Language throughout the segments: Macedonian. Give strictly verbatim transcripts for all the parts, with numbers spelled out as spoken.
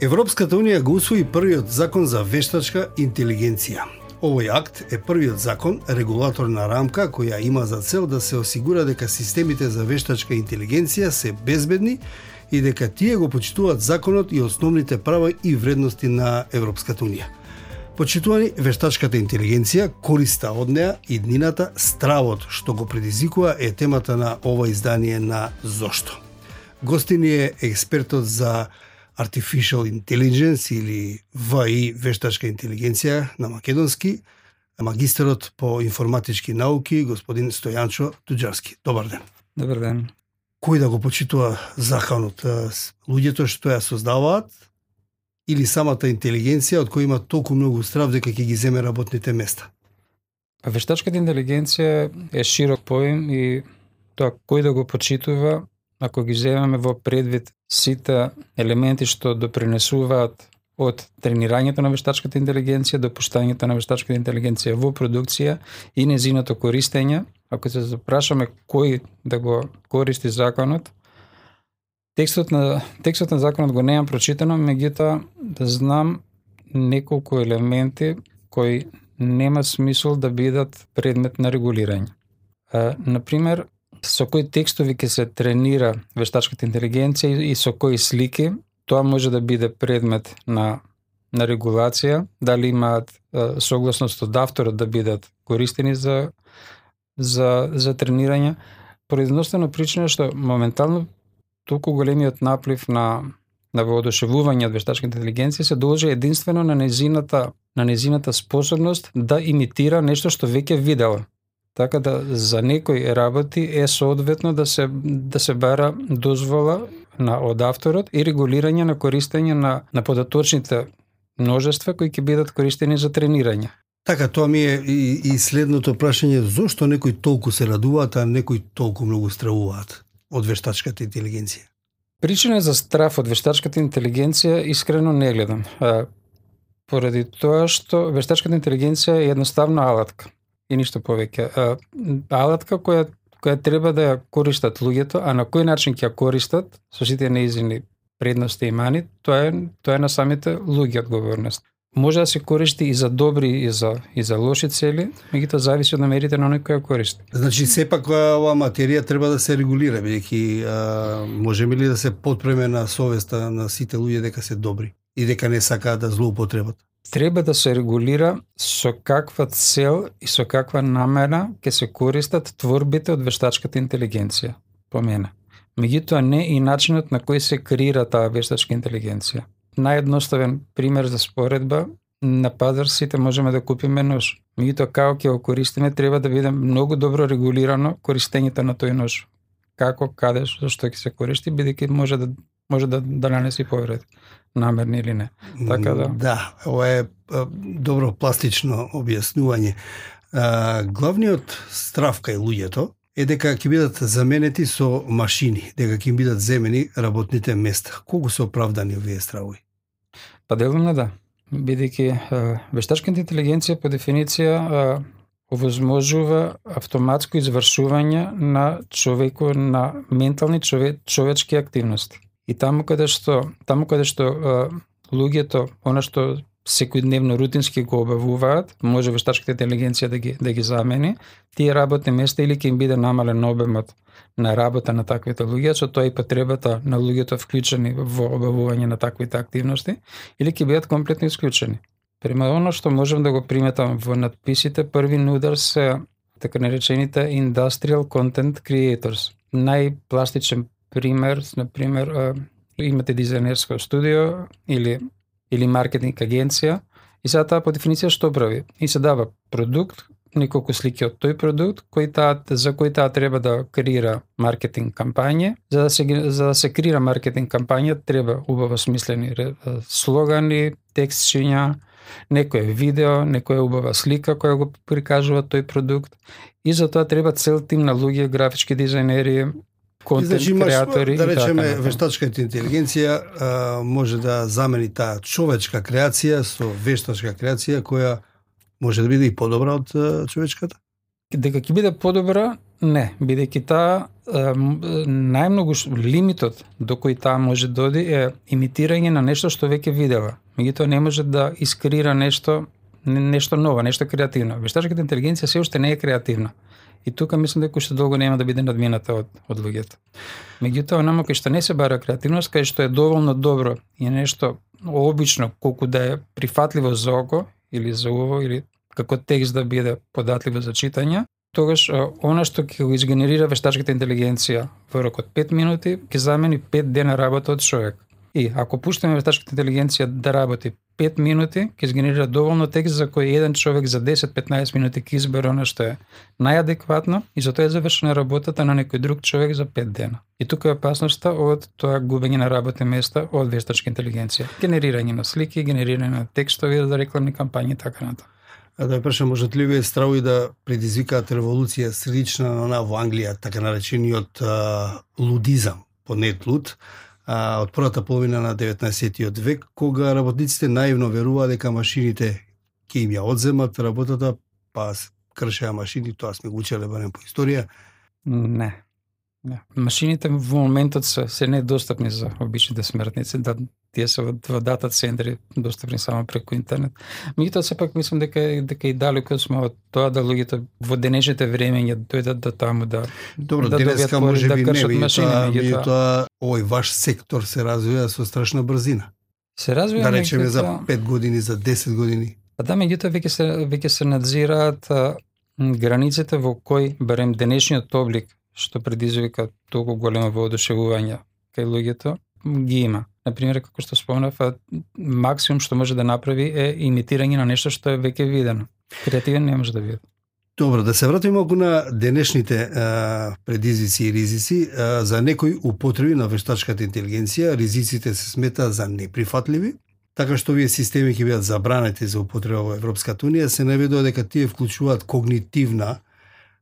Европската унија го усвои првиот закон за вештачка интелигенција. Овој акт е првиот закон, регулаторна рамка која има за цел да се осигура дека системите за вештачка интелигенција се безбедни и дека тие го почитуваат законот и основните права и вредности на Европската унија. Почитувани, вештачката интелигенција, користа од неа, иднината, стравот што го предизвикува е темата на ова издание на Зошто. Гостини е експертот за Artificial Intelligence или В И вештачка интелигенција на македонски, магистерот по информатички науки господин Стојанчо Туџарски. Добар ден. Добар ден. Кој да го почитува законот? Луѓето што ја создаваат или самата интелигенција од која има толку многу страв дека ќе ги земе работните места? Вештачката интелигенција е широк поим и тоа кој да го почитува, ако ги земеме во предвид сите елементи што допринесуваат од тренирањето на вештачката интелигенција до пуштањето на вештачката интелигенција во продукција и незиното користење, ако се запрашаме кој да го користи законот, текстот на текстот на законот го немам прочитано, меѓутоа да знам неколку елементи кои нема смисол да бидат предмет на регулирање. А, например, со кои текстови ќе се тренира вештачката интелигенција и со кои слики, тоа може да биде предмет на на регулација, дали имаат а, согласност од авторот да бидат користени за за за тренирање, по едноставна причина што моментално толку големиот наплив на на воодушевување од вештачката интелигенција се должи единствено на незината на незината способност да имитира нешто што веќе видела. Така да за некои работи е соодветно да се да се бара дозвола на од авторот и регулирање на користење на на податочните множества кои ќе бидат користени за тренирање. Така, тоа ми е и, и следното прашање, зошто некои толку се радуваат, а некои толку многу стравуваат од вештачката интелигенција? Причина за страф од вештачката интелигенција искрено не гледам. А, поради тоа што вештачката интелигенција е едноставно алатка и ништо повеќе. А, алатка која која треба да ја користат луѓето, а на кој начин ќе ја користат со сите неизини предности и мани, тоа е тоа е на самите луѓе одговорност. Може да се користи и за добри и за и за лоши цели, меѓутоа зависи од намерите на оној кој ја користи. Значи сепак оваа материја треба да се регулира, бидејќи можеме ли да се потпреме на совеста на сите луѓе дека се добри и дека не сакаат да злоупотребат? Треба да се регулира со каква цел и со каква намера ќе се користат творбите од вештачката интелигенција, по мене. Меѓутоа не и начинот на кој се креира таа вештачка интелигенција. Наједноставен пример за споредба, на пазар сите можеме да купиме нож. Меѓутоа како ќе го користиме треба да биде многу добро регулирано користењето на тој нож. Како, каде, зашто ќе се користи, бидејќи може да може да да нанеси повреди, намерни или не. Така да. Да, ова е добро пластично објаснување. А, главниот страв кај луѓето е дека ќе бидат заменети со машини, дека ќе им бидат земени работните места. Колку се оправдани овие стравови? Па делумно да, бидејќи вештачката интелигенција по дефиниција овозможува автоматско извршување на човеко на ментални чове, човечки активности. И таму каде што таму каде што а, луѓето она што секојдневно рутински го обавуваат, може вештачката интелигенција да ги да ги замени, тие работни места или ќе им биде намален обемот на работа на таквите луѓе, со тоа и потребата на луѓето вклучени во обавување на таквите активности, или ќе бидат комплетно исклучени. Према оно што можам да го приметам во надписите, први на удар се така наречените Industrial Content Creators. Најпластичен пример, например, имате дизајнерско студио или или маркетинг агенција и сега таа по дефиниција што прави? И се дава продукт, неколку слики од тој продукт, кој таа за кој таа треба да креира маркетинг кампања. За да се за да се креира маркетинг кампања треба убаво смислени слогани, текстчиња, некој видео, некоја убава слика која го прикажува тој продукт и за тоа треба цел тим на луѓе, графички дизајнери, контент значи, креатори, да речеме, така, вештачката интелигенција а, може да замени таа човечка креација со вештачка креација која може да биде и подобра од а, човечката? Дека ќе биде подобра, не, бидејќи таа најмногу лимитот до кој таа може доди е имитирање на нешто што веќе видела. Меѓутоа не може да искреира нешто нешто ново, нешто креативно. Вештачката интелигенција се уште не е креативна. И тука мислам дека уште долго нема да биде надмината од од луѓето. Меѓутоа, онamo кој што не се бара креативност, кај што е доволно добро и нешто обично колку да е прифатливо за око или за уво или како текст да биде податливо за читање, тогаш она што ќе го изгенерира вештачката интелигенција во рок од пет минути ќе замени пет дена работа од човек. И ако пуштиме вештачката интелигенција да работи пет минути, ќе изгенерира доволно текст за кој еден човек за десет до петнаесет минути ќе избере она што е најадекватно и затоа е завршена работата на некој друг човек за пет дена. И тука е опасноста од тоа губење на работни места од вештачка интелигенција. Генерирање на слики, генерирање на текстови за рекламни кампањи и така натаму. А да прашам, можат ли вие стравови да предизвикаат револуција слична на она во Англија, така наречениот а, лудизам, понет луд, а, од првата половина на деветнаесеттиот век, кога работниците наивно веруваа дека машините ќе им ја одземат работата, па кршеа машини, тоа сме го учеле барем по историја. Не. Не. Машините во моментот се, се недостапни за обичните смртници, да тие се во дата центри достапни само преку интернет. Меѓутоа сепак мислам дека дека и далеко сме од тоа да луѓето во денешните времења дојдат до таму да Добро, да денеска може би да не, меѓутоа овој ваш сектор се развива со страшна брзина. Се развива, да речеме за пет години, за десет години. Па да, меѓутоа веќе се веќе се надзираат а, границите во кој барем денешниот облик што предизвика толку големо воодушевување кај луѓето ги има. Например, како што спомнав, максимум што може да направи е имитирање на нешто што е веќе видено. Креативен не може да биде. Добро, да се вратиме малку на денешните а, предизвици и ризици. А, за некои употреби на вештачката интелигенција, ризиците се сметаат за неприфатливи, така што овие системи ќе бидат забранети за употреба во Европската унија. Се наведува дека тие вклучуваат когнитивна,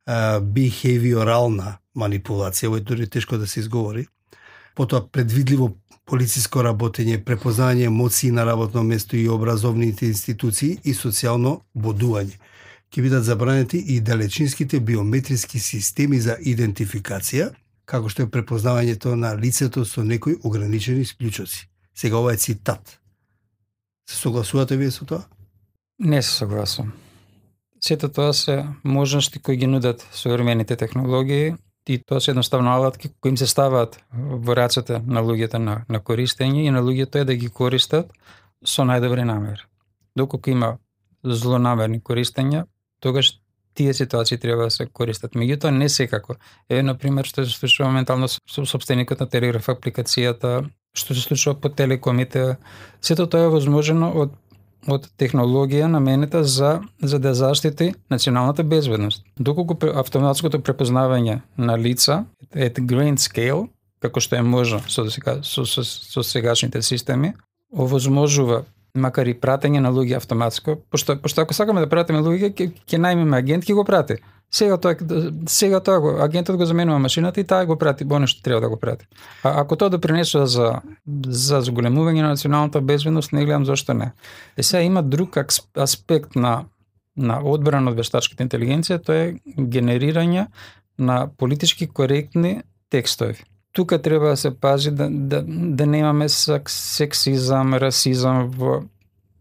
а, бихевиорална манипулација, ово е дури тешко да се изговори, потоа предвидливо полициско работење, препознање емоции на работно место и образовните институции и социјално бодување. Ќе бидат забранети и далечинските биометриски системи за идентификација, како што е препознавањето на лицето со некои ограничени исклучоци. Сега ова е цитат. Се согласувате вие со тоа? Не се согласувам. Сето тоа се можности кои ги нудат современите технологии и тоа се едноставно алатки кои им се ставаат во рацете на луѓето на, на користење и на луѓето е да ги користат со најдобри намери. Доколку има злонамерни користења, тогаш тие ситуации треба да се користат. Меѓутоа не секако. Еве на пример што се случува моментално со сопстеникот на телеграф апликацијата, што се случува по телекомите, сето тоа е возможно од од технологија наменета за за да заштити националната безбедност. Доколку автоматското препознавање на лица at grand scale, како што е можно со сега со, со, со сегашните системи, овозможува макар и пратење на луѓе автоматско, пошто пошто ако сакаме да пратиме луѓе, ќе ќе најмеме агент, ќе го прати. Сега тоа сега тоа го агентот го заменува машината и таа го прати оно што треба да го прати. А ако тоа допринесува за за зголемување на националната безбедност, не гледам зошто не. Е сега има друг аспект на на одбрана од вештачката интелигенција, тоа е генерирање на политички коректни текстови. Тука треба да се пази да да да немаме сексизам, расизам во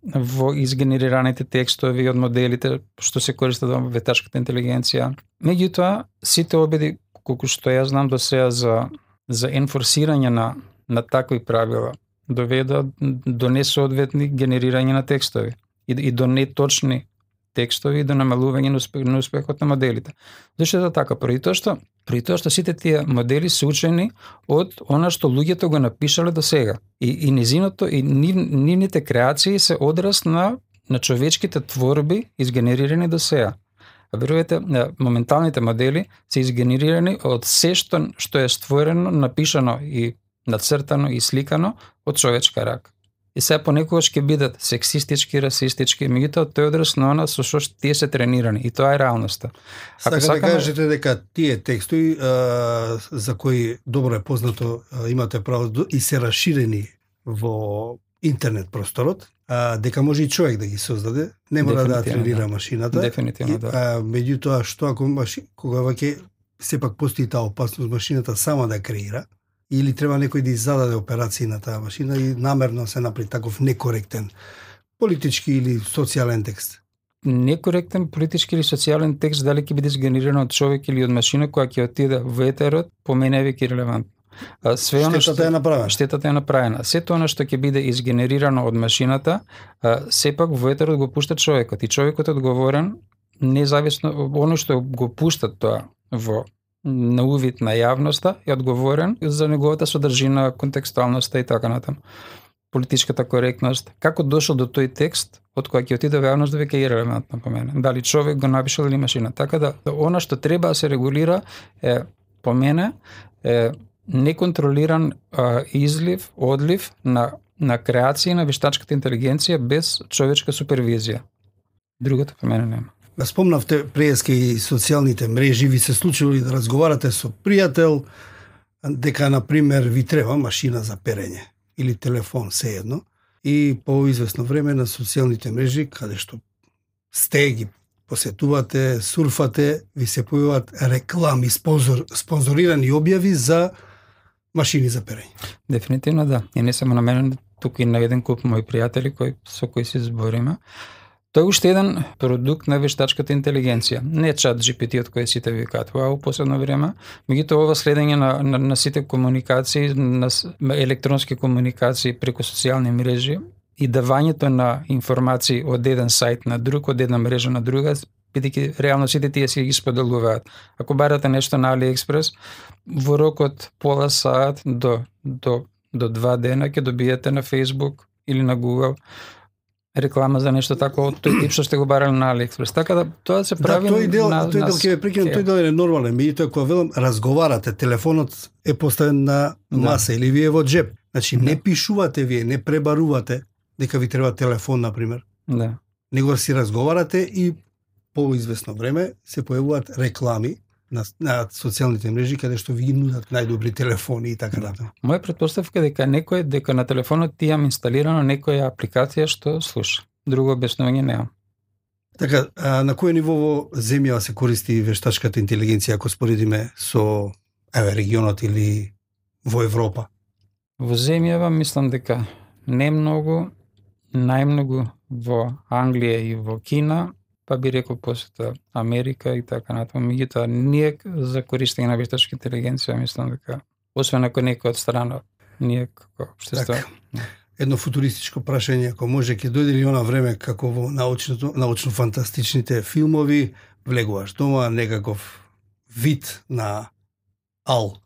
во изгенерираните текстови од моделите што се користат во вештачката интелигенција. Меѓутоа, сите обиди колку што ја знам до сега за за енфорсирање на на такви правила доведа до несоодветни генерирање на текстови и, и до неточни текстови и до намалување на, успех, на успехот на моделите. Зашто е така? Први тоа што При тоа што сите тие модели се учени од она што луѓето го напишале до сега. И, и низиното и нив, нивните креации се одраз на на човечките творби изгенерирани до сега. А верувате, моменталните модели се изгенерирани од се што што е створено, напишано и нацртано и сликано од човечка рака. И сега понекогаш ќе бидат сексистички, расистички, меѓутоа тој одраз на она со што тие се тренирани и тоа е реалноста. Ако Сака сакаме... да кажете дека тие текстови а, за кои добро е познато, а, имате право и се расширени во интернет просторот, а, дека може и човек да ги создаде, не мора да тренира да. машината. Дефинитивно, да. А, меѓутоа што ако маши, кога ваќе сепак постои таа опасност машината сама да креира, или треба некој да издаде операции на таа машина и намерно се направи таков некоректен политички или социјален текст? Некоректен политички или социјален текст дали ќе биде сгенериран од човек или од машина која ќе отиде во етерот, по мене е веќе релевантно. Све штетата што, е направена. Штетата е направена. Сето она што ќе биде изгенерирано од машината, сепак во етерот го пушта човекот и човекот е одговорен независно оно што го пуштат тоа во на увид на јавноста е одговорен за неговата содржина, контекстуалноста и така натаму. Политичката коректност, како дошол до тој текст, од кој ќе отиде во јавност, веќе е релевантно по мене. Дали човек го напишал или машина. Така да, она што треба да се регулира е, по мене, е неконтролиран а, излив, одлив на, на креации на вештачката интелигенција без човечка супервизија. Другото по мене нема. Спомнавте преска и социјалните мрежи, ви се случило ли да разговарате со пријател дека, например, ви треба машина за перење или телефон, сеедно, и по известно време на социјалните мрежи, каде што сте, ги посетувате, сурфате, ви се појават реклами, спонзор, спонзорирани објави за машини за перење. Дефинитивно да. И не само на мене, туку и на еден куп мои пријатели кои, со кои се збориме. Тој е уште еден продукт на вештачката интелигенција. Не чат Джи Пи Ти од кој сите викаат вау последно време, меѓутоа ова следење на, на, на сите комуникации, на електронски комуникации преку социјални мрежи и давањето на информации од еден сајт на друг, од една мрежа на друга, бидејќи реално сите тие си ги споделуваат. Ако барате нешто на AliExpress, во рок од пола саат до, до, до два дена ќе добиете на Facebook или на Google реклама за нешто тако од тој тип што сте го барали на AliExpress. Така да тоа се прави да, тој дел, на тој дел ќе ве прекинам, тој дел е нормален, меѓутоа кога велам разговарате, телефонот е поставен на маса да. Или вие во джеп. Значи да. Не пишувате вие, не пребарувате дека ви треба телефон, например. Да. Него си разговарате и по известно време се појавуваат реклами на, на социјалните мрежи каде што ви нудат најдобри телефони и така натаму. Моја претпоставка е дека некој дека на телефонот ти имам инсталирано некоја апликација што слуша. Друго објаснување немам. Така, а, на кој ниво во земјава се користи вештачката интелигенција ако споредиме со еве регионот или во Европа? Во земјава мислам дека не многу, најмногу во Англија и во Кина, па би рекол посета Америка и така натаму. Меѓутоа, ние за користење на вештачка интелигенција мислам дека, освен ако некој од страна, ние како општество. Так, едно футуристичко прашање, ако може, ќе дојде ли она време како во научното, научно-фантастичните филмови, влегуваш дома, некаков вид на ал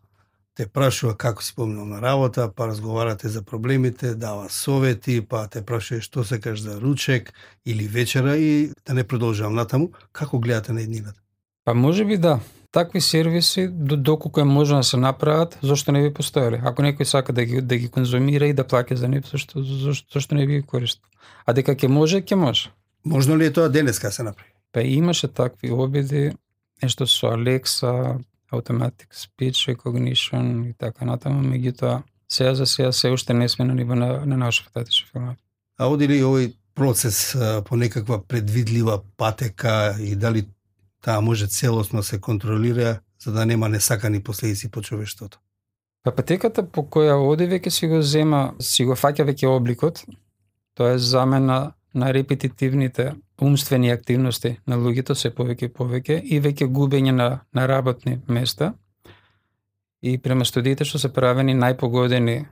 те прашува како си поминал на работа, па разговарате за проблемите, дава совети, па те прашува што сакаш за ручек или вечера и да не продолжувам натаму. Како гледате на еднината? Па може би да. Такви сервиси, доколку е можно да се направат, зошто не би постоеле? Ако некој сака да ги, да ги конзумира и да плаќа за нив, зашто, зашто, зашто не би ги користил? А дека ќе може, ќе може. Можно ли е тоа денеска се направи? Па имаше такви обиди, нешто со Alexa, Automatic Speech Recognition и така натаму, меѓутоа сега за сега се уште не сме на ниво на, на научно-фантастични филмови. А оди ли овој процес а, по некаква предвидлива патека и дали таа може целосно се контролира за да нема несакани последици по човештвото? Па патеката по која оди веќе си го зема, си го фаќа веќе обликот, тоа е замена на репетитивните умствени активности на луѓето се повеќе и повеќе и веќе губење на, на работни места. И према студиите што се правени најпогодени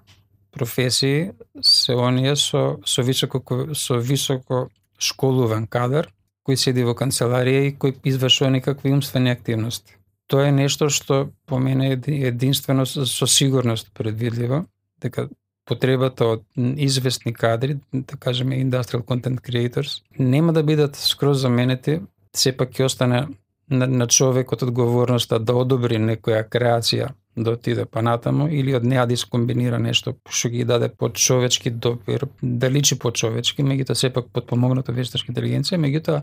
професии се оние со, со, високо, со високо школуван кадар, кој седи во канцеларија и кој извршува некакви умствени активности. Тоа е нешто што по мене е единствено со сигурност предвидливо, дека потребата од известни кадри, да кажеме industrial content creators, нема да бидат скроз заменети, сепак ќе остане на, на човекот одговорноста да одобри некоја креација да отиде панатаму или од неа да искомбинира нешто што ги даде почовечки допир, да личи почовечки, меѓутоа сепак потпомогнато вештачка интелигенција, меѓутоа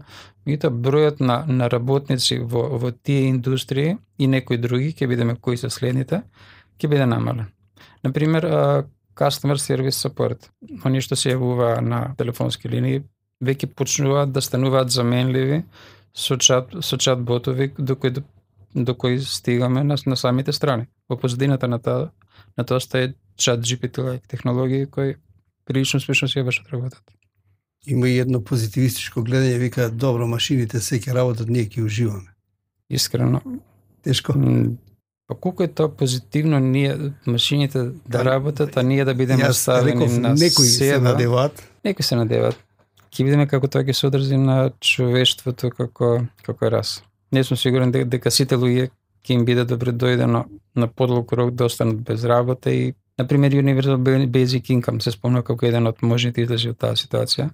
меѓутоа бројот на, на работници во, во тие индустрии и некои други, ќе видиме кои се следните, ќе биде намален. Например, customer service support, оние што се јавува на телефонски линии, веќе почнуваат да стануваат заменливи со чат, со чат ботови, до кои до кој стигаме на, на самите страни. Во позадината на тоа, на тоа стаje чат Джи Пи Ти технологии кои прилично успешно си ја вршат работата. Има и едно позитивистичко гледање, вика, добро, машините се ќе работат, ние ќе уживаме. Искрено. Тешко? Па колку е тоа позитивно ние машините да работат, а ние да бидеме оставени на некои себе. се надеваат. Некои се надеваат. Ќе видиме како тоа ќе се одржи на човештвото како како е раса. Не сум сигурен дека сите луѓе ќе им биде добре дојдено на подлог рок да останат без работа и например Universal Basic Income се спомна како еден од можните излези од таа ситуација.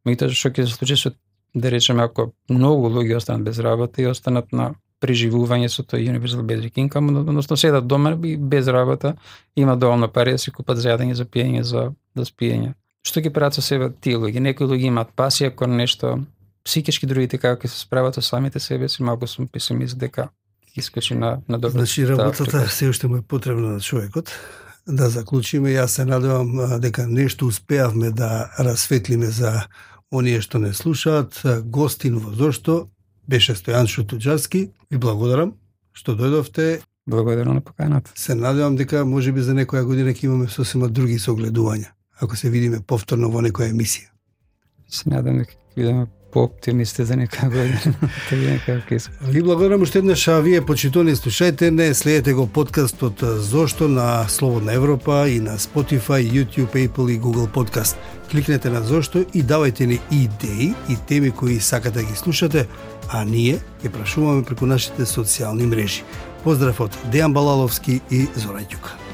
Меѓутоа што ќе се случи со, да речеме, ако многу луѓе останат без работа и останат на преживување со тој Universal Basic Income, односно седат дома и без работа, има доволно пари да си купат за јадење, за пиење, за да спиење. Што ќе прават со себе тие луѓе? Некои луѓе имаат пасија кон нешто психички, другите како ќе се справат со самите себе си, малку сум песимист дека ќе искочи на на добро. Значи работата се уште му е потребна на човекот. Да заклучиме, јас се надевам дека нешто успеавме да расветлиме за оние што не слушаат. Гостин во Зошто беше Стојан Шутуџарски. Ви благодарам што дојдовте. Благодарам на поканата. Се надевам дека можеби за некоја година ќе имаме сосема други согледувања, ако се видиме повторно во некоја емисија. Се надам дека ќе видиме по-оптимисти за некоја година. Ви благодарам уште еднаш, а вие почитувани слушајте не, следете го подкастот Зошто на Слободна Европа и на Spotify, YouTube, Apple и Google Podcast. Кликнете на Зошто и давајте ни идеи и теми кои сакате да ги слушате, а ние ќе прашуваме преку нашите социјални мрежи. Поздрав од Дејан Балаловски и Зоран Ѓука.